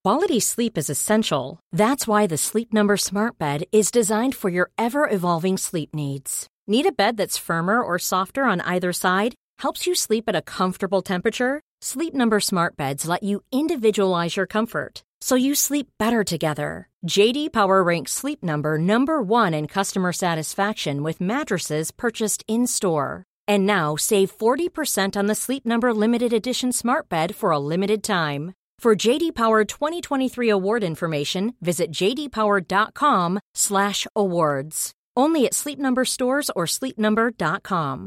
Quality sleep is essential. That's why the Sleep Number Smart Bed is designed for your ever-evolving sleep needs. Need a bed that's firmer or softer on either side? Helps you sleep at a comfortable temperature? Sleep Number Smart Beds let you individualize your comfort, so you sleep better together. J.D. Power ranks Sleep Number number 1 in customer satisfaction with mattresses purchased in-store. And now save 40% on the Sleep Number Limited Edition Smart Bed for a limited time. For J.D. Power 2023 award information, visit jdpower.com/awards. Only at Sleep Number stores or sleepnumber.com.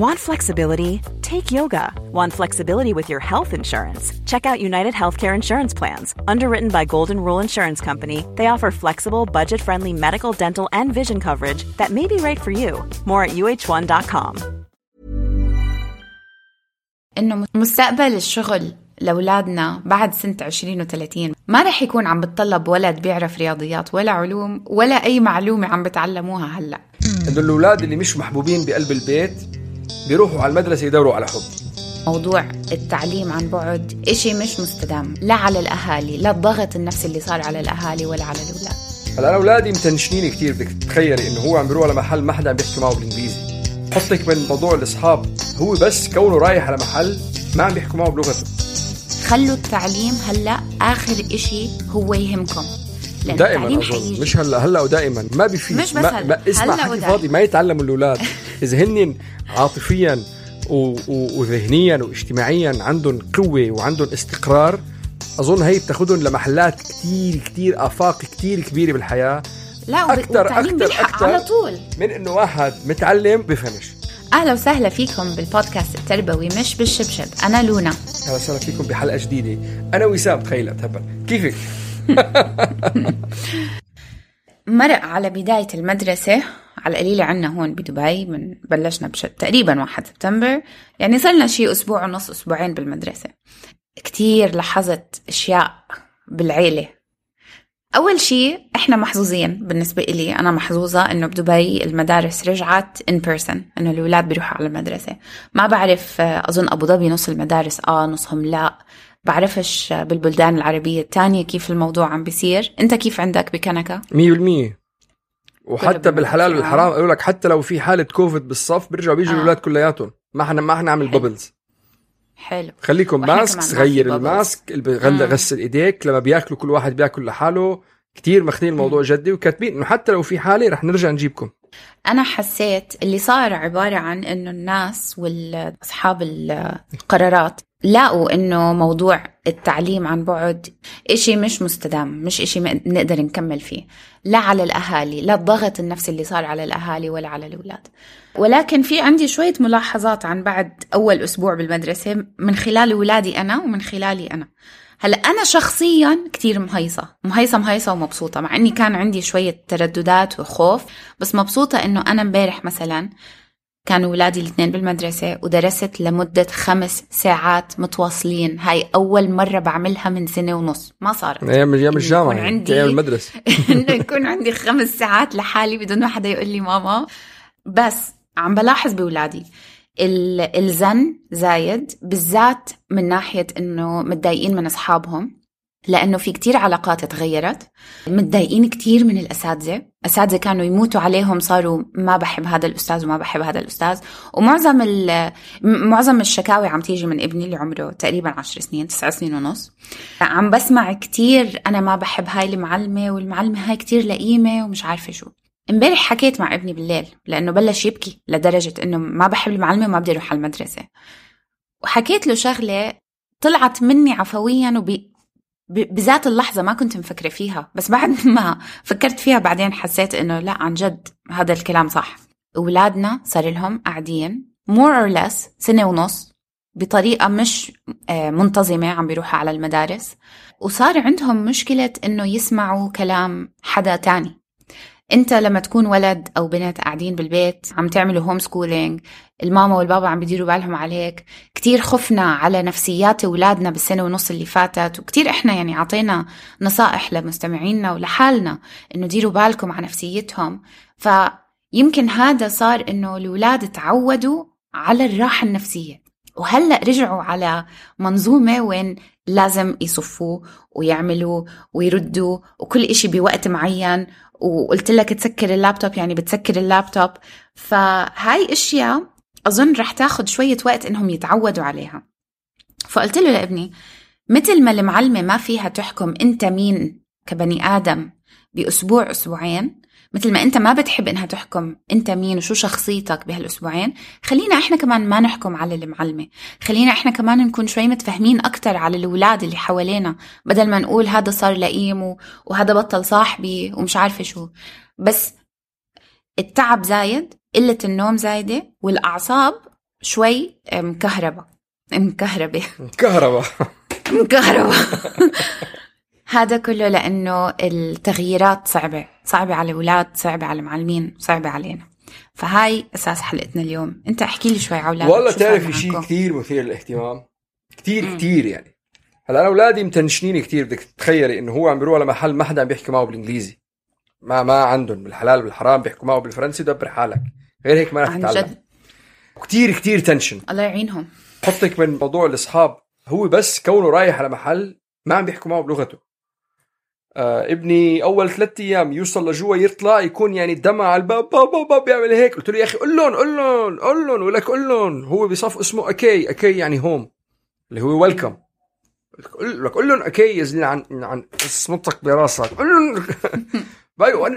Want flexibility? Take yoga. Want flexibility with your health insurance? Check out United Healthcare Insurance Plans. Underwritten by Golden Rule Insurance Company, they offer flexible, budget-friendly medical, dental, and vision coverage that may be right for you. More at uh1.com. إنه مستقبل الشغل لأولادنا بعد سنة 2030 ما رح يكون عم بتطلب ولد بيعرف رياضيات ولا علوم ولا أي معلومة عم بتعلموها هلأ. إنه الأولاد اللي مش محبوبين بقلب البيت بيروحوا على المدرسة يدوروا على حب. موضوع التعليم عن بعد إشي مش مستدام، لا على الأهالي، لا الضغط النفسي اللي صار على الأهالي ولا على الأولاد. هلا أنا أولادي متنشنين كتير، بدك تتخيلي إنه هو عم بيروح على محل ما حدا عم بيحكي معه بالإنجليزي. حطك من موضوع الأصحاب، هو بس كونه رايح على محل ما عم بيحكوا معه بلغته. خلوا التعليم هلأ آخر إشي هو يهمكم. دائما أظن مش هلا ودائما ما بيفيد، مش بس ما اسمع حكي فاضي ما يتعلموا الأولاد. إذا هن عاطفيا وذهنيا واجتماعيا عندهم قوة وعندهم استقرار، أظن هي بتاخدهم لمحلات كتير آفاق كتير كبيرة بالحياة. لا أكتر على طول من إنه واحد متعلم بفهمش. أهلا وسهلا فيكم بالبودكاست التربوي مش بالشبشب. أنا لونا. أهلا وسهلا فيكم بحلقة جديدة. أنا وسام. تخيل أتهبل كيفك؟ مرق على بداية المدرسة على القليلة عنا هون بدبي، من بلشنا تقريبا 1 سبتمبر، يعني صرنا شيء أسبوع ونص أسبوعين بالمدرسة. كتير لاحظت أشياء بالعيلة. أول شيء إحنا محظوظين، بالنسبة إلي أنا محظوظة إنه بدبي المدارس رجعت in person، إنه الأولاد بيروحوا على المدرسة. ما بعرف، أظن أبو ظبي نص المدارس نصهم لا، بعرفش بالبلدان العربية التانية كيف الموضوع عم بيصير. أنت كيف عندك بكنكا؟ 100%. وحتى بالحلال والحرام قالوا لك حتى لو في حالة كوفيد بالصف بيرجعوا بيجوا الأولاد كلياتهم. ما احنا عامل بابلز. حلو. خليكم ماسك، غير الماسك، غسل ايديك، لما بياكلوا كل واحد بياكل لحاله. كتير ماخذين الموضوع جدي وكاتبين انه حتى لو في حالة رح نرجع نجيبكم. انا حسيت اللي صار عبارة عن انه الناس واصحاب القرارات لاقوا انه موضوع التعليم عن بعد اشي مش مستدام، مش اشي نقدر نكمل فيه، لا على الاهالي، لا الضغط النفسي اللي صار على الاهالي ولا على الاولاد. ولكن في عندي شوية ملاحظات عن بعد اول اسبوع بالمدرسة من خلال اولادي انا ومن خلالي انا. هلا انا شخصيا كتير مهيصة ومبسوطة، مع اني كان عندي شوية ترددات وخوف، بس مبسوطة انه انا امبارح مثلا كانوا ولادي الاثنين بالمدرسة ودرست لمدة 5 ساعات متواصلين. هاي أول مرة بعملها من 1.5 سنة، ما صارت أيام الجامعة، أيام المدرسة. إنه يكون عندي 5 ساعات لحالي بدون ما حدا يقول لي ماما. بس عم بلاحظ بولادي الزن زايد، بالذات من ناحية إنه متضايقين من أصحابهم، لأنه في كتير علاقات تغيرت. متضايقين كتير من أساتذة كانوا يموتوا عليهم، صاروا ما بحب هذا الأستاذ وما بحب هذا الأستاذ. ومعظم الشكاوي عم تيجي من ابني اللي عمره تقريبا 10 سنين 9 سنين ونص. عم بسمع كتير أنا ما بحب هاي المعلمة، والمعلمة هاي كتير لئيمة ومش عارفة شو. امبارح حكيت مع ابني بالليل لأنه بلش يبكي لدرجة إنه ما بحب المعلمة وما بدي أروح على المدرسة. وحكيت له شغلة طلعت مني عفويا بذات اللحظة ما كنت مفكرة فيها، بس بعد ما فكرت فيها بعدين حسيت إنه لا، عن جد هذا الكلام صح. أولادنا صار لهم قاعدين more or less 1.5 سنة بطريقة مش منتظمة عم بيروحوا على المدارس، وصار عندهم مشكلة إنه يسمعوا كلام حدا تاني. انت لما تكون ولد او بنت قاعدين بالبيت عم تعملوا هوم سكولينج، الماما والبابا عم بيديروا بالهم عليك. كتير خفنا على نفسيات اولادنا ب1.5 سنة اللي فاتت، وكتير احنا يعني عطينا نصائح لمستمعينا ولحالنا انه ديروا بالكم على نفسيتهم. فيمكن هذا صار انه الاولاد تعودوا على الراحة النفسية. وهلأ رجعوا على منظومة وين لازم يصفوا ويعملوا ويردوا وكل إشي بوقت معين، وقلت لك تسكر اللابتوب يعني بتسكر اللابتوب. فهاي اشياء اظن رح تاخد شوية وقت انهم يتعودوا عليها. فقلت له لابني مثل ما المعلمة ما فيها تحكم انت مين كبني ادم باسبوع اسبوعين، مثل ما انت ما بتحب انها تحكم انت مين وشو شخصيتك بهالاسبوعين، خلينا احنا كمان ما نحكم على المعلمة، خلينا احنا كمان نكون شوي متفهمين اكتر على الأولاد اللي حوالينا، بدل ما نقول هذا صار لئيم وهذا بطل صاحبي ومش عارفة شو. بس التعب زايد، قلة النوم زايدة، والأعصاب شوي مكهربة. هذا كله لأنه التغييرات صعبة على الأولاد، صعبة على المعلمين، صعبة علينا. فهاي أساس حلقتنا اليوم. أنت احكي لي شوي عولاد. والله تعرفي شيء كتير مثير للاهتمام، كتير يعني. هلا أنا أولادي متنشنين كتير. بدك تتخيلي إنه هو عم بيروح على محل ما حدا عم بيحكي معه بالإنجليزي، ما عندهم بالحلال بالحرام بيحكوا معه بالفرنسي، دبر حالك، غير هيك ما رح تتعلم. كتير تنشن، الله يعينهم. حطك من موضوع الأصحاب، هو بس كونه رايح على محل ما عم بيحكوا معه بلغته. ابني أول 3 أيام يوصل لجوا يطلع يكون يعني دمع على الباب، بابا بيعمل هيك. قلت له يا أخي قل لهم ولك قل لهم. هو بصف اسمه أكي يعني هوم، اللي هو ويلكم. قل لهم أكي يزلين عن صمتك براسك، قل لهم.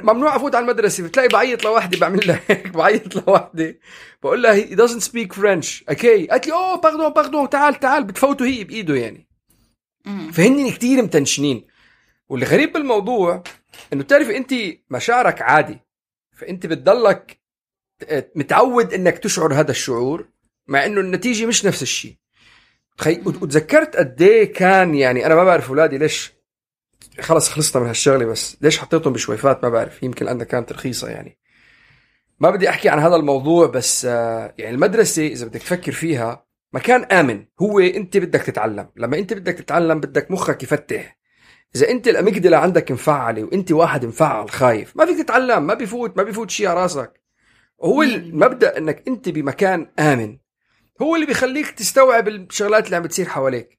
ممنوع أفوت على المدرسة، بتلاقي بعيط لوحدي، بعمل له هيك، بعيط لوحدي، بقول له he doesn't speak French. أكي قالت لي باردون تعال بتفوتوا هي بإيده يعني. فهني كتير متنشنين. واللي غريب بالموضوع إنه تعرفي أنت مشاعرك عادي، فأنت بتضلك متعود إنك تشعر هذا الشعور، مع إنه النتيجة مش نفس الشيء. وتذكرت قديه كان يعني أنا ما بعرف أولادي ليش خلصنا من هالشغلة، بس ليش حطيتهم بشويفات ما بعرف، يمكن لأنها كانت رخيصة يعني. ما بدي أحكي عن هذا الموضوع، بس يعني المدرسة إذا بدك تفكر فيها مكان آمن. هو أنت بدك تتعلم، لما أنت بدك تتعلم بدك مخك يفتح. إذا أنت الأميجدلا عندك مفعلة وأنت واحد مفعل خايف، ما فيك تتعلم، ما بيفوت شيء على راسك. هو المبدأ أنك أنت بمكان آمن هو اللي بيخليك تستوعب الشغلات اللي عم بتصير حواليك.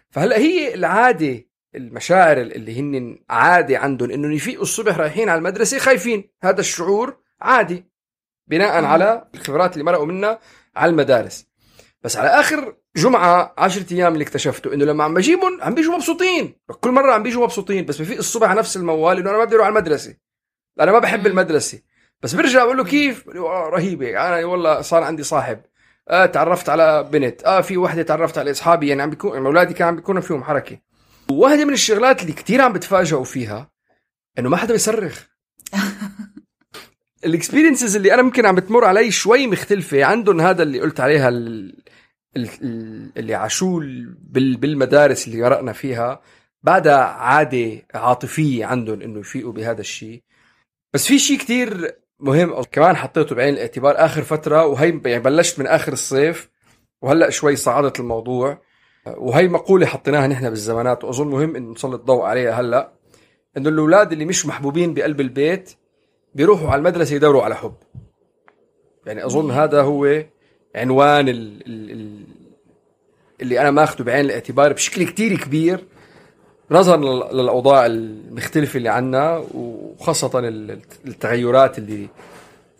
فهلأ هي العادة، المشاعر اللي هن عادي عندهم إنه يفيقوا الصبح رايحين على المدرسة خايفين، هذا الشعور عادي بناء على الخبرات اللي مرقوا منها على المدارس. بس على آخر جمعة 10 أيام اللي اكتشفته إنه لما عم بجيبهم عم بيجوا مبسوطين، كل مرة عم بيجوا مبسوطين، بس بفيق الصبح على نفس الموال إنه أنا ما بدي أروح على المدرسة، أنا ما بحب المدرسة. بس برجع بقول له كيف؟ رهيبة، أنا والله صار عندي صاحب، تعرفت على بنت، في واحدة تعرفت على أصحابي، يعني عم بيكون أولادي كان عم بيكونوا فيهم حركة. وواحدة من الشغلات اللي كتير عم بتفاجئوا فيها إنه ما حدا بيصرخ. الاكسبيرينسز اللي أنا ممكن عم بتمر علي شوي مختلفة عندهم، هذا اللي قلت عليها اللي عاشوا بالمدارس اللي قرأنا فيها، بعدها عادة عاطفية عندهم إنه يفيقوا بهذا الشيء. بس في شيء كتير مهم كمان حطيته بعين الاعتبار آخر فترة، وهي يعني بلشت من آخر الصيف وهلأ شوي صعدت الموضوع، وهي مقولة حطيناها نحن بالزمانات وأظن مهم إن نسلط الضوء عليها هلأ، إنه الأولاد اللي مش محبوبين بقلب البيت بيروحوا على المدرسة يدوروا على حب. يعني أظن هذا هو عنوان اللي أنا ماخده بعين الاعتبار بشكل كتير كبير، نظرا للأوضاع المختلفة اللي عنا، وخاصة التغيرات اللي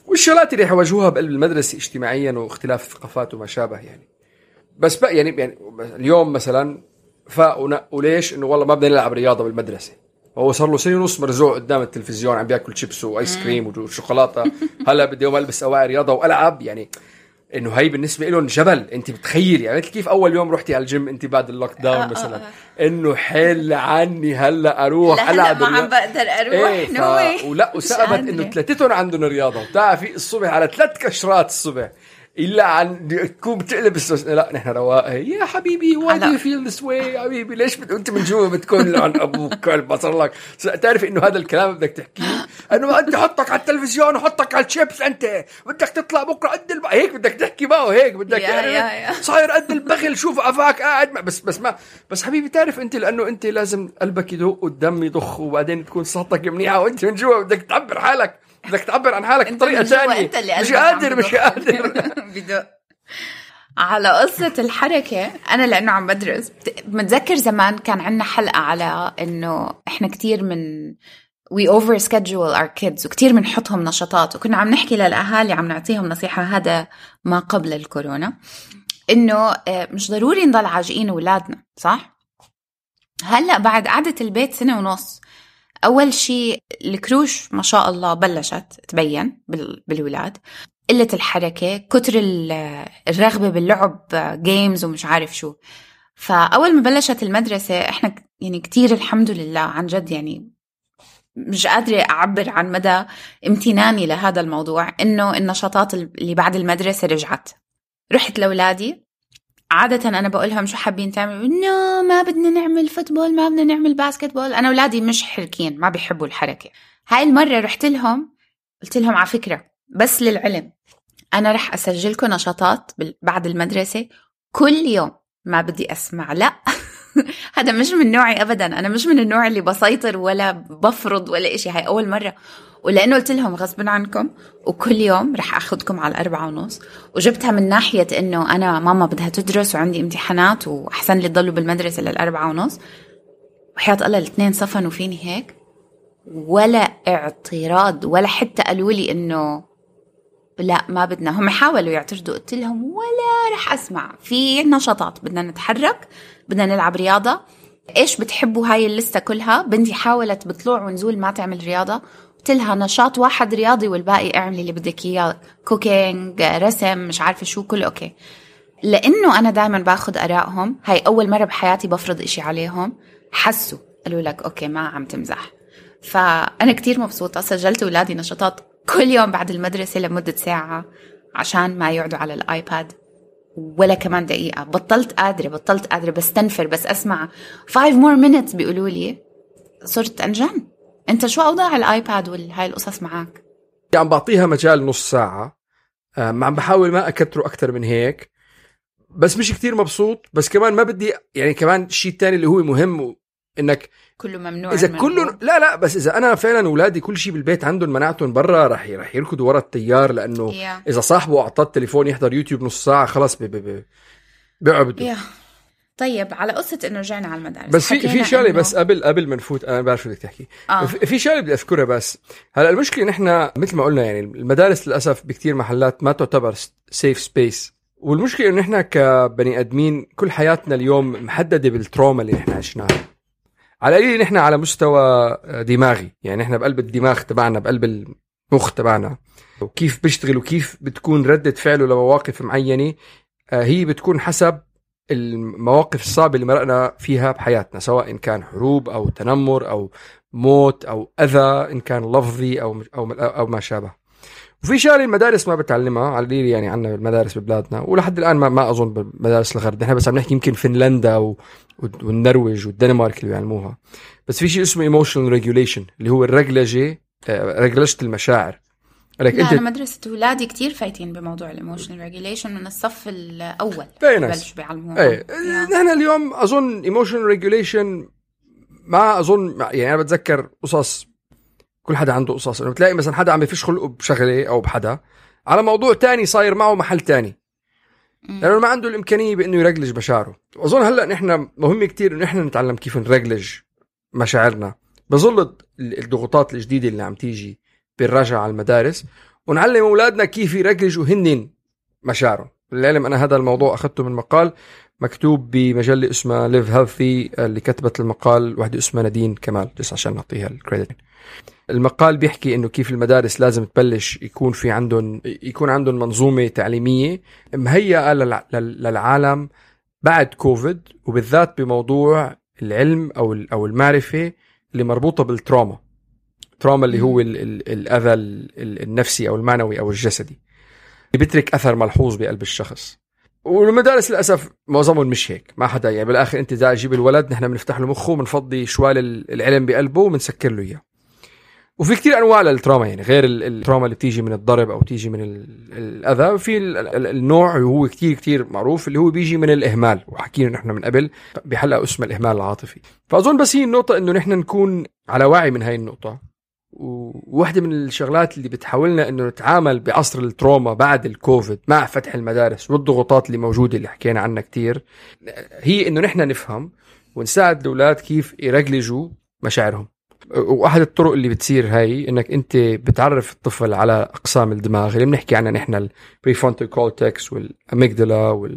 والشغلات اللي حواجهوها بقلب المدرسة اجتماعيا واختلاف الثقافات وما شابه يعني. بس بقى يعني اليوم مثلا فاقوا ليش إنه والله ما بدنا نلعب رياضة بالمدرسة، هو صار له 1.5 سنة مرزوع قدام التلفزيون عم بياكل شيبس وآيس كريم وشوكولاتة، هلا بدي يوم ألبس أواعي رياضة وألعب. يعني إنه هاي بالنسبة لهم جبل. أنت بتخيل يعني كيف أول يوم رحتي على الجيم أنت بعد اللوك داون مثلا، إنه حل عني هلا أروح ألعب، ما عم بقدر أروح ولا وسأبت إنه 3 عندهم رياضة، وتعرفي الصبح على 3 كشرات الصبح إلا عن تكون بتقلب لا نحن رواقه يا حبيبي why do you feel this way يا حبيبي، ليش أنت من جوا بتكون عن أبوك كلب بصر لك. تعرف إنه هذا الكلام بدك تحكيه، إنه أنت حطك على التلفزيون وحطك على الشيبس، أنت بدك تطلع بكرة قد هيك بدك تحكي معه هيك بدك صاير قد البخل، شوف أفاك قاعد بس حبيبي تعرف أنت لأنه أنت لازم قلبك يدق والدم يضخ وبعدين تكون صحتك منيحة وأنت من جوا بدك تعبر حالك، بدك تعبر عن حالك بطريقة ثانية. مش قادر بدق. على قصة الحركة، أنا لأنه عم بدرس متذكر زمان كان عنا حلقة على إنه إحنا كتير من we over schedule our kids وكتير منحطهم نشاطات، وكنا عم نحكي للأهالي عم نعطيهم نصيحة، هذا ما قبل الكورونا، إنه مش ضروري نضل عاجقين أولادنا، صح؟ هلأ بعد قعدة البيت 1.5 سنة، أول شيء الكروش ما شاء الله بلشت تبين بالولاد، قلة الحركة، كتر الرغبة باللعب جيمز ومش عارف شو. فأول ما بلشت المدرسة إحنا يعني كتير الحمد لله عن جد، يعني مش قادرة أعبر عن مدى امتناني لهذا الموضوع، إنه النشاطات اللي بعد المدرسة رجعت. رحت لأولادي، عادة أنا بقولهم شو حابين تعملوا؟ ما بدنا نعمل فوتبول، ما بدنا نعمل باسكتبول. أنا أولادي مش حركين، ما بيحبوا الحركة. هاي المرة رحت لهم قلت لهم على فكرة، بس للعلم أنا رح أسجلكم نشاطات بعد المدرسة كل يوم، ما بدي أسمع لا هذا مش من نوعي أبدا، أنا مش من النوع اللي بسيطر ولا بفرض ولا إشي. هاي أول مرة، ولأنه قلت لهم غصب عنكم وكل يوم رح أخذكم على 4:30. وجبتها من ناحية إنه أنا ماما بدها تدرس وعندي امتحانات، وأحسن لي تضلوا بالمدرسة 4:30. وحياة الله 2 صفنوا فيني هيك، ولا اعتراض، ولا حتى قالوا لي إنه لا ما بدنا. هم حاولوا يعترضوا، قلت لهم ولا رح أسمع. في نشاطات بدنا نتحرك، بدنا نلعب رياضة. إيش بتحبوا؟ هاي اللستة كلها. بنتي حاولت بطلوع ونزول ما تعمل رياضة، قلت لها نشاط واحد رياضي والباقي اعملي اللي بدك إياه، كوكينج، رسم، مش عارفة شو، كله أوكي. لأنه أنا دائما باخد آرائهم، هاي أول مرة بحياتي بفرض إشي عليهم، حسوا قالوا لك أوكي ما عم تمزح. فأنا كتير مبسوطة، سجلت أولادي نشاطات كل يوم بعد المدرسة لمدة ساعة عشان ما يقعدوا على الآيباد ولا كمان دقيقة. بطلت قادرة بستنفر، بس أسمع 5 more minutes بيقولوا لي صرت أنجن. أنت شو أوضاع الآيباد والهاي القصص معك؟ عم بعطيها مجال نص ساعة، عم بحاول ما أكتره أكتر من هيك، بس مش كتير مبسوط. بس كمان ما بدي يعني كمان الشيء التاني اللي هو مهم، إنك كله ممنوع. إذا كله لا بس إذا أنا فعلا أولادي كل شيء بالبيت عندهم مناعتهم برا، رح يركضوا ورا التيار، لأنه إذا صاحبه أعطاه التليفون يحضر يوتيوب نص ساعة خلاص بيعبدوا. طيب على قصة إنه رجعنا على المدارس، بس في شغلة بس قبل ما نفوت، أنا بعرف شو بدك تحكي. في شغلة بدي أذكرها. بس هلا المشكلة إن إحنا مثل ما قلنا يعني المدارس للأسف بكتير محلات ما تعتبر safe space، والمشكلة إن إحنا كبني أدمين كل حياتنا اليوم محددة بالتروما اللي إحنا عشناها، على القليل نحن على مستوى دماغي، يعني نحن بقلب الدماغ تبعنا، بقلب المخ تبعنا، وكيف بيشتغل وكيف بتكون ردة فعله لمواقف معينة، هي بتكون حسب المواقف الصعبة اللي مرقنا فيها بحياتنا، سواء إن كان حروب أو تنمر أو موت أو أذى، إن كان لفظي أو ما شابه. وفي شغله المدارس ما بتعلمها على القليل، يعني عنا المدارس ببلادنا ولحد الآن ما أظن بمدارس الغرب، نحن بس عم نحكي يمكن فنلندا والنرويج والدنمارك اللي بيعلموها. بس في شيء اسمه emotional regulation اللي هو رجلجة المشاعر. لا أنا مدرسة ولادي كتير فايتين بموضوع الإيموشنال ريجوليشن من الصف الأول بلش بيعلموها. نحن اليوم أظن إيموشنال ريجوليشن ما أظن، يعني أنا بتذكر قصص، كل حدا عنده قصص، إنه بتلاقي مثلا حدا عم يفش خلقه بشغلة أو بحدا على موضوع تاني صاير معه محل تاني، لأنه ما عنده الإمكانية بإنه يرجلج مشاعره. وأظن هلأ نحن مهم كتير إنه نحن نتعلم كيف نرجلج مشاعرنا بظل الضغوطات الجديدة اللي عم تيجي بالرجعة على المدارس، ونعلم أولادنا كيف يرجلجوا هنن مشاعرهم. للعلم أنا هذا الموضوع أخذته من مقال مكتوب بمجلة اسمها Live Healthy، اللي كتبت المقال واحدة اسمها نادين كمال، جس عشان نعطيها الكريدت. المقال بيحكي إنه كيف المدارس لازم تبلش يكون عندهم منظومة تعليمية مهيئة للعالم بعد كوفيد، وبالذات بموضوع العلم أو المعرفة اللي مربوطة بالتراما اللي هو الأذى النفسي أو المعنوي أو الجسدي اللي بيترك أثر ملحوظ بقلب الشخص. والمدارس للأسف معظمهم مش هيك، ما حدا يعني بالآخر أنت إذا أجيب الولد نحن بنفتح له مخه وبنفضي شوال العلم بقلبه وبنسكر له إياه. وفي كتير أنواع للتراما، يعني غير التراما اللي بتيجي من الضرب أو تيجي من الأذى، في النوع هو كتير معروف اللي هو بيجي من الإهمال، وحكينا نحن من قبل بحلقة اسمها الإهمال العاطفي. فأظن بس هي النقطة إنه نحن نكون على وعي من هاي النقطة، وواحدة من الشغلات اللي بتحاولنا انه نتعامل بعصر التروما بعد الكوفيد مع فتح المدارس والضغوطات اللي موجودة اللي حكينا عنها كتير، هي انه نحن نفهم ونساعد الأولاد كيف يرجلجوا مشاعرهم. واحد الطرق اللي بتصير هاي انك انت بتعرف الطفل على اقسام الدماغ اللي بنحكي عنها نحن، البريفرونتال كورتكس والاميجدلا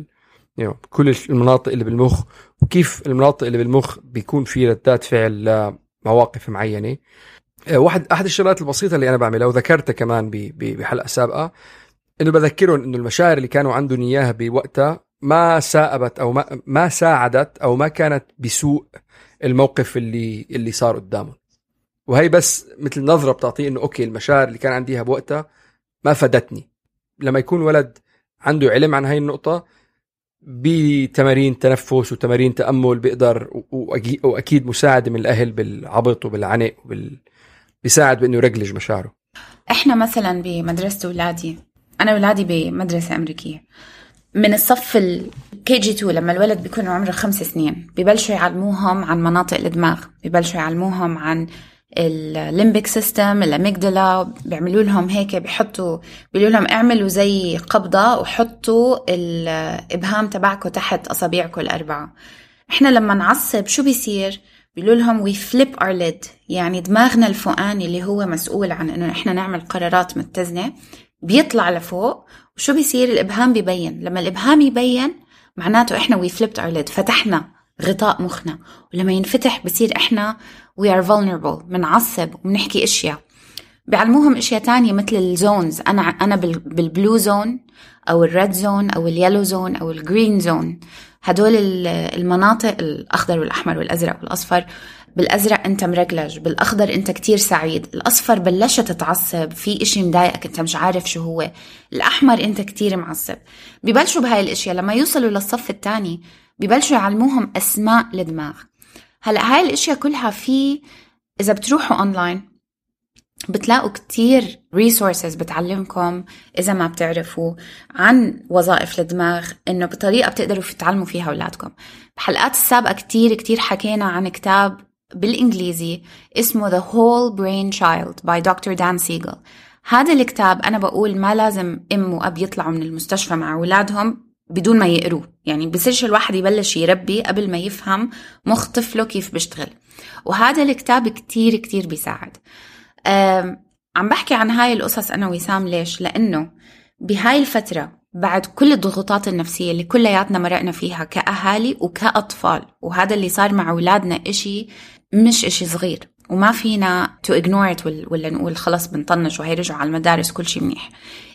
كل المناطق اللي بالمخ، وكيف المناطق اللي بالمخ بيكون في ردات فعل لمواقف معينة. أحد الشغلات البسيطة اللي أنا بعملها وذكرتها كمان بحلقة سابقة، إنه بذكرهم إنه المشاعر اللي كانوا عندهم إياها بوقتها ما ساعدت أو ما كانت بسوء الموقف اللي صار قدامهم. وهي بس مثل نظرة بتعطيه إنه أوكي المشاعر اللي كان عنديها بوقتها ما فادتني. لما يكون ولد عنده علم عن هاي النقطة، بتمارين تنفس وتمارين تأمل بيقدر، وأكيد مساعدة من الأهل بالعبط وبالعنق بيساعد بأنه يرجلج مشاعره. إحنا مثلا بمدرسة أولادي، أنا أولادي بمدرسة أمريكية، من الصف KG2 لما الولد بيكون عمره 5 سنين ببلشوا يعلموهم عن مناطق الدماغ، ببلشوا يعلموهم عن الليمبيك سيستم، الاميجدلا، بيعملوا لهم هيك، بيقولوا لهم اعملوا زي قبضة وحطوا الإبهام تبعكم تحت أصابعكم ال4. إحنا لما نعصب شو بيصير؟ بيقولوا لهم we flip our lid، يعني دماغنا الفوقاني اللي هو مسؤول عن إنه إحنا نعمل قرارات متزنة بيطلع لفوق، وشو بيصير؟ الإبهام بيبين. لما الإبهام يبين معناته إحنا we flipped our lid، فتحنا غطاء مخنا، ولما ينفتح بصير إحنا we are vulnerable، منعصب ومنحكي إشياء. بيعلموهم إشياء تانية مثل الزونز، أنا بالبلو زون أو الريد زون أو اليلو زون أو الجرين زون. هدول المناطق الأخضر والأحمر والأزرق والأصفر. بالأزرق أنت مرجلج، بالأخضر أنت كتير سعيد، الأصفر بلشت تتعصب، في إشي مضايقك أنت مش عارف شو هو، الأحمر أنت كتير معصب. ببلشوا بهاي الإشياء. لما يوصلوا للصف الثاني ببلشوا يعلموهم أسماء الدماغ. هلأ هاي الإشياء كلها إذا بتروحوا أونلاين بتلاقوا كتير resources بتعلمكم إذا ما بتعرفوا عن وظائف الدماغ، إنه بطريقة بتقدروا تتعلموا فيها أولادكم. بحلقات السابقة كتير حكينا عن كتاب بالإنجليزي اسمه The Whole Brain Child by Dr. Dan Siegel. هذا الكتاب أنا بقول ما لازم أم وأب يطلعوا من المستشفى مع أولادهم بدون ما يقروه، يعني بصيرش الواحد يبلش يربي قبل ما يفهم مخ طفله كيف بيشتغل. وهذا الكتاب كتير بيساعد. عم بحكي عن هاي القصص أنا وسام ليش؟ لأنه بهاي الفترة بعد كل الضغوطات النفسية اللي كلياتنا مرقنا فيها كأهالي وكأطفال، وهذا اللي صار مع أولادنا مش إشي صغير، وما فينا to ignore it ولا نقول خلاص بنطنش وهيرجعوا على المدارس كل شيء منيح.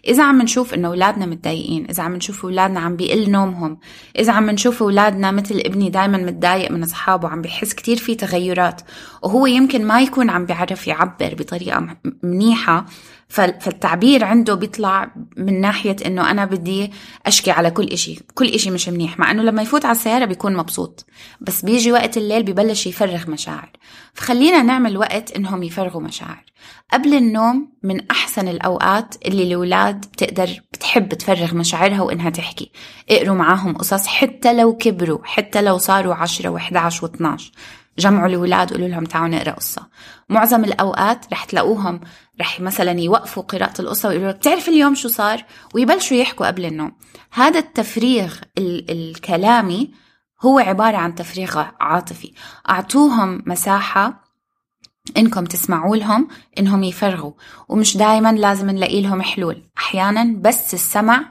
إذا عم نشوف إنه أولادنا متضايقين، إذا عم نشوف أولادنا عم بيقل نومهم، إذا عم نشوف أولادنا مثل ابني دايما متضايق من أصحابه، عم بيحس كتير في تغيرات وهو يمكن ما يكون عم بيعرف يعبر بطريقة منيحة، فالتعبير عنده بيطلع من ناحية إنه أنا بدي أشكي على كل إشي مش منيح، مع إنه لما يفوت على السيارة بيكون مبسوط، بس بيجي وقت الليل بيبلش يفرغ مشاعر. فخلينا نعمل وقت إنهم يفرغوا مشاعر قبل النوم. من أحسن الأوقات اللي الأولاد بتحب تفرغ مشاعرها وإنها تحكي. اقروا معاهم قصص حتى لو كبروا، حتى لو صاروا 10 و11 و12، جمعوا الأولاد قولوا لهم تعالوا نقرأ قصة. معظم الأوقات رح تلاقوهم رح مثلا يوقفوا قراءة القصة ويقولوا بتعرف اليوم شو صار، ويبلشوا يحكوا قبل النوم. هذا التفريغ الكلامي هو عبارة عن تفريغ عاطفي. أعطوهم مساحة إنكم تسمعوا لهم إنهم يفرغوا، ومش دايما لازم نلاقي لهم حلول. أحيانا بس السمع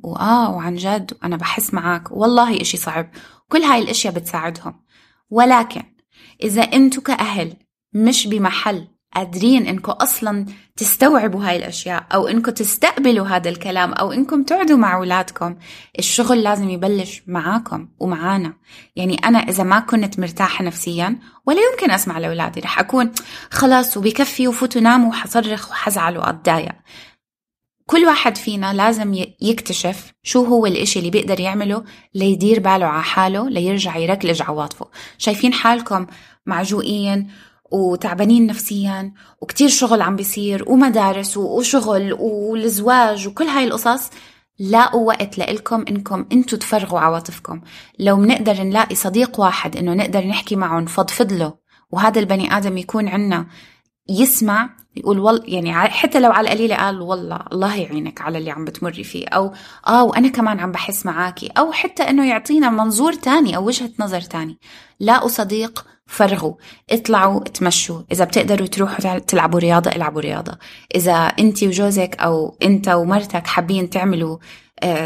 وعن جد أنا بحس معاك والله إشي صعب، كل هاي الأشياء بتساعدهم. ولكن إذا أنتوا كأهل مش بمحل قادرين إنكم أصلا تستوعبوا هاي الأشياء، أو إنكم تستقبلوا هذا الكلام، أو إنكم تقعدوا مع أولادكم، الشغل لازم يبلش معاكم ومعانا. يعني أنا إذا ما كنت مرتاحة نفسيا ولا يمكن أسمع لأولادي، رح أكون خلاص وبكفي وفوتوا ناموا وحصرخ وحزعل وأتضايق. كل واحد فينا لازم يكتشف شو هو الاشي اللي بيقدر يعمله ليدير باله على حاله، ليرجع يركلج عواطفه. شايفين حالكم معجوقين وتعبانين نفسيا وكتير شغل عم بيصير ومدارس وشغل والزواج وكل هاي القصص، لاقوا وقت لإلكم إنكم انتوا تفرغوا عواطفكم. لو منقدر نلاقي صديق واحد إنه نقدر نحكي معه نفضفض له، وهذا البني آدم يكون عنا يسمع يقول يعني حتى لو على القليلة قال والله الله يعينك على اللي عم بتمري فيه، أو وأنا كمان عم بحس معاكي، أو حتى إنه يعطينا منظور تاني أو وجهة نظر تاني. لاقوا صديق فرغوا، اطلعوا اتمشوا، إذا بتقدروا تروحوا تلعبوا رياضة العبوا رياضة، إذا أنت وجوزك أو أنت ومرتك حابين تعملوا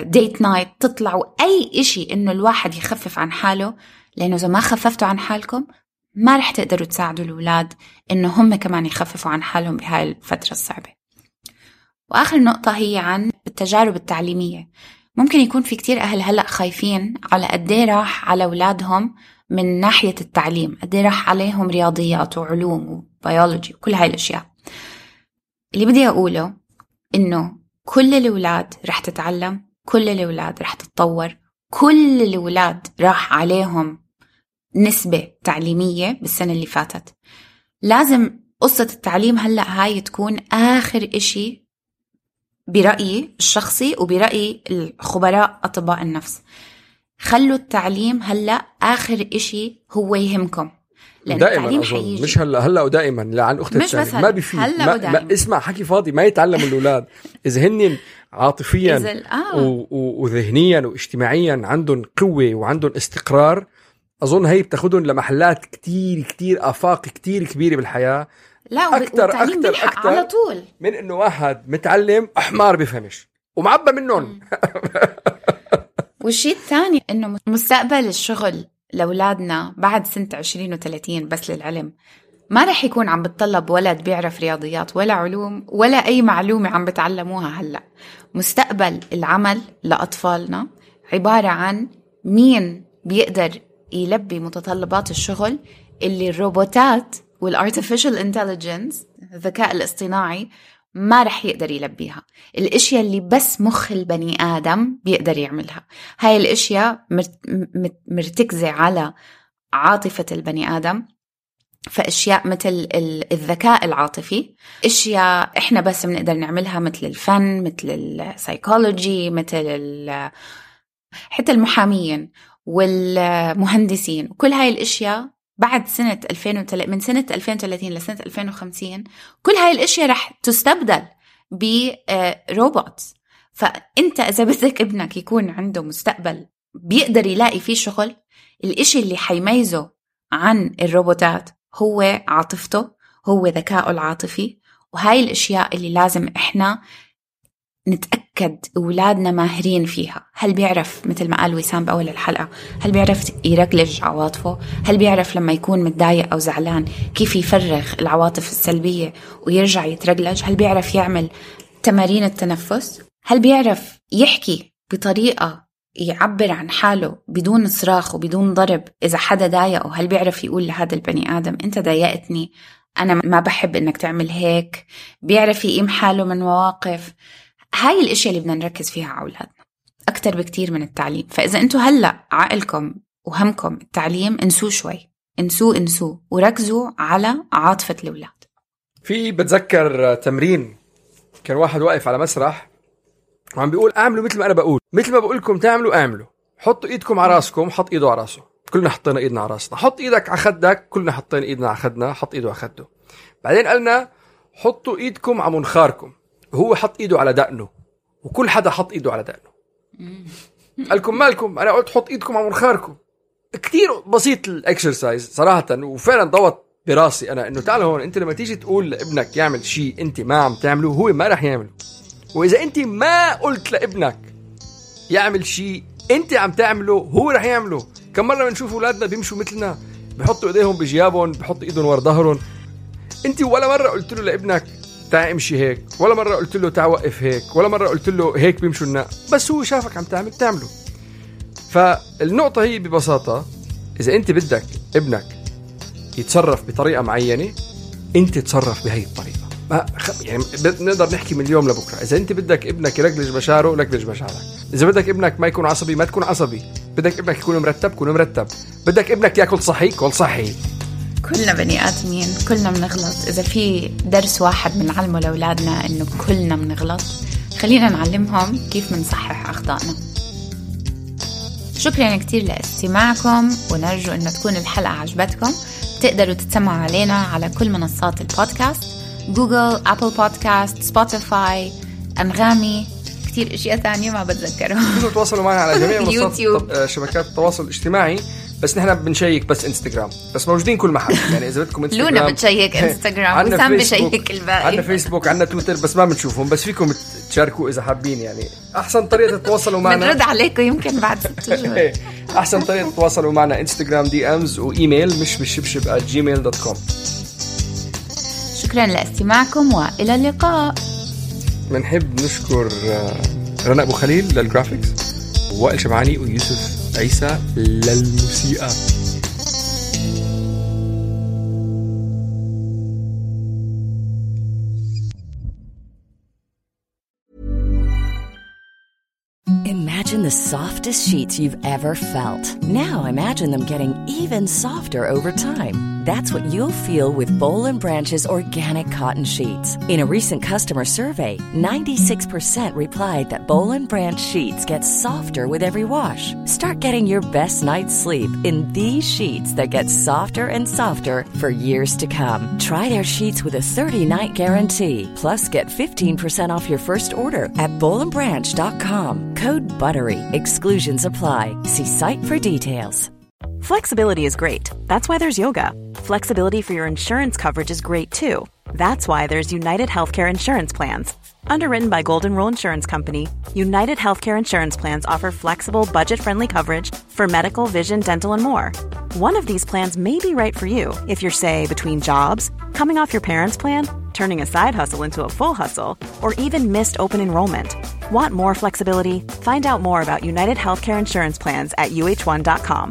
ديت نايت تطلعوا، أي إشي إنه الواحد يخفف عن حاله، لأنه إذا ما خففتوا عن حالكم ما رح تقدروا تساعدوا الأولاد إنه هم كمان يخففوا عن حالهم بهاي الفترة الصعبة. وآخر نقطة هي عن التجارب التعليمية. ممكن يكون في كتير أهل هلأ خايفين على قديه راح على أولادهم من ناحية التعليم، قديه راح عليهم رياضيات وعلوم وبيولوجي وكل هاي الأشياء. اللي بدي أقوله إنه كل الأولاد رح تتعلم، كل الأولاد رح تتطور، كل الأولاد راح عليهم نسبة تعليمية بالسنة اللي فاتت. لازم قصة التعليم هلأ هاي تكون آخر إشي برأيي الشخصي وبرأي الخبراء أطباء النفس. خلوا التعليم هلأ آخر إشي هو يهمكم، لأن التعليم حيجي. مش هلأ ودائما. لعن أختي الثانية ما بيفيد. ما اسمع حكي فاضي، ما يتعلموا الأولاد إذا هنن عاطفيا وذهنيا واجتماعيا عندهم قوة وعندهم استقرار. أظن هي بتاخدهم لمحلات كتير آفاق كتير كبيرة بالحياة. لا أكتر على طول من إنه واحد متعلم أحمر بيفهمش ومعبى منهم. والشيء الثاني إنه مستقبل الشغل لأولادنا بعد سنة 20 و30 بس للعلم ما رح يكون عم بتطلب ولد بيعرف رياضيات ولا علوم ولا أي معلومة عم بتعلموها هلأ. مستقبل العمل لأطفالنا عبارة عن مين بيقدر يلبي متطلبات الشغل اللي الروبوتات والارتفيشال انتليجنس الذكاء الاصطناعي ما رح يقدر يلبيها. الاشياء اللي بس مخ البني آدم بيقدر يعملها. هاي الاشياء مرتكزة على عاطفة البني آدم، فاشياء مثل الذكاء العاطفي، اشياء احنا بس بنقدر نعملها مثل الفن، مثل السايكولوجي، مثل حتى المحامين والمهندسين. وكل هاي الاشياء بعد سنة 2000 من سنة 2030 لسنة 2050 كل هاي الاشياء رح تستبدل بروبوت. فانت اذا بدك ابنك يكون عنده مستقبل بيقدر يلاقي فيه شغل، الاشي اللي حيميزه عن الروبوتات هو عاطفته، هو ذكائه العاطفي. وهاي الاشياء اللي لازم احنا نتأكد أولادنا ماهرين فيها. هل بيعرف مثل ما قال وسام بأول الحلقة، هل بيعرف يرجلج عواطفه؟ هل بيعرف لما يكون متضايق أو زعلان كيف يفرغ العواطف السلبية ويرجع يترجلج؟ هل بيعرف يعمل تمارين التنفس؟ هل بيعرف يحكي بطريقة يعبر عن حاله بدون صراخ وبدون ضرب إذا حدا ضايقه؟ هل بيعرف يقول لهذا البني آدم أنت ضايقتني، أنا ما بحب إنك تعمل هيك؟ بيعرف يقيم حاله من مواقف؟ هاي الاشياء اللي بدنا نركز فيها على أولادنا أكتر بكتير من التعليم. فإذا أنتوا هلأ عقلكم وهمكم التعليم، انسوه شوي، انسوه وركزوا على عاطفة الأولاد. في بتذكر تمرين كان واحد واقف على مسرح وعم بيقول اعملوا مثل ما أنا بقول، مثل ما بقولكم تعملوا اعملوا. حطوا ايدكم على راسكم، حط ايده على راسه، كلنا حطينا ايدنا على راسنا. حط ايدك على خدك، كلنا حطينا ايدنا على خدنا، حط ايده على خده. بعدين قالنا حطوا ايدكم على منخاركم، هو حط ايده على دقنه وكل حدا حط ايده على دقنه. قالكم مالكم؟ انا قلت حط ايدكم على منخاركم. كتير بسيط الاكسرسايز صراحة، وفعلا ضوت براسي انا انه تعال هون، انت لما تيجي تقول لابنك يعمل شيء انت ما عم تعمله هو ما رح يعمله. واذا انت ما قلت لابنك يعمل شيء انت عم تعمله هو رح يعمله. كم مرة بنشوف اولادنا بيمشوا مثلنا، بحطوا ايديهم بجيابهم، بحطوا ايدهم ورا ظهرهم. انت ولا مرة قلت له لابنك تعال امشي هيك، ولا مرة قلت له تعال وقف هيك، ولا مرة قلت له هيك بيمشوا الناس، بس هو شافك عم تعمله. فالنقطة هي ببساطة، إذا أنت بدك ابنك يتصرف بطريقة معينة أنت تصرف بهاي الطريقة. يعني نقدر نحكي من اليوم لبكرة. إذا أنت بدك ابنك يرجلج مشاعره لجلج مشاعرك، إذا بدك ابنك ما يكون عصبي ما تكون عصبي، بدك ابنك يكون مرتب كون مرتب، بدك ابنك يأكل صحي كل صحي. كلنا بني آدمين، كلنا بنغلط. إذا في درس واحد بنعلمه لأولادنا إنه كلنا بنغلط، خلينا نعلمهم كيف منصحح أخطائنا. شكرا كتير لاستماعكم، ونرجو أن تكون الحلقة عجبتكم. بتقدروا تتسمعوا علينا على كل منصات البودكاست: جوجل، أبل بودكاست، سبوتيفاي، أنغامي، كتير اشياء تانية ما بتذكرهم. تقدروا تواصلوا معنا على جميع منصات شبكات التواصل الاجتماعي، بس نحن بنشيك بس انستغرام، بس موجودين كل محل. يعني اذا بدكم انستغرام لونا بتشيك انستغرام، وسام بشيك الباقي. عندنا فيسبوك، عندنا تويتر، بس ما بنشوفهم، بس فيكم تشاركوا اذا حابين. يعني احسن طريقه تتواصلوا معنا بنرد عليكم يمكن بعد 6 شهور. احسن طريقه تتواصلوا معنا انستغرام DMs وايميل مشبشبشب@gmail.com. شكرا لاستماعكم والى اللقاء. بنحب نشكر رنا أبو خليل للجرافيكس، ووائل شبعاني ويوسف عيسى للموسيقى. Imagine the softest sheets you've ever felt. Now imagine them getting even softer over time. That's what you'll feel with Boll & Branch's organic cotton sheets. In a recent customer survey, 96% replied that Boll & Branch sheets get softer with every wash. Start getting your best night's sleep in these sheets that get softer and softer for years to come. Try their sheets with a 30-night guarantee. Plus, get 15% off your first order at bollandbranch.com. Code BUTTERY. Exclusions apply. See site for details. Flexibility is great. That's why there's yoga. Flexibility for your insurance coverage is great too. That's why there's United Healthcare Insurance Plans. Underwritten by Golden Rule Insurance Company, United Healthcare Insurance Plans offer flexible, budget-friendly coverage for medical, vision, dental, and more. One of these plans may be right for you if you're, say, between jobs, coming off your parents' plan, turning a side hustle into a full hustle, or even missed open enrollment. Want more flexibility? Find out more about United Healthcare Insurance Plans at uh1.com.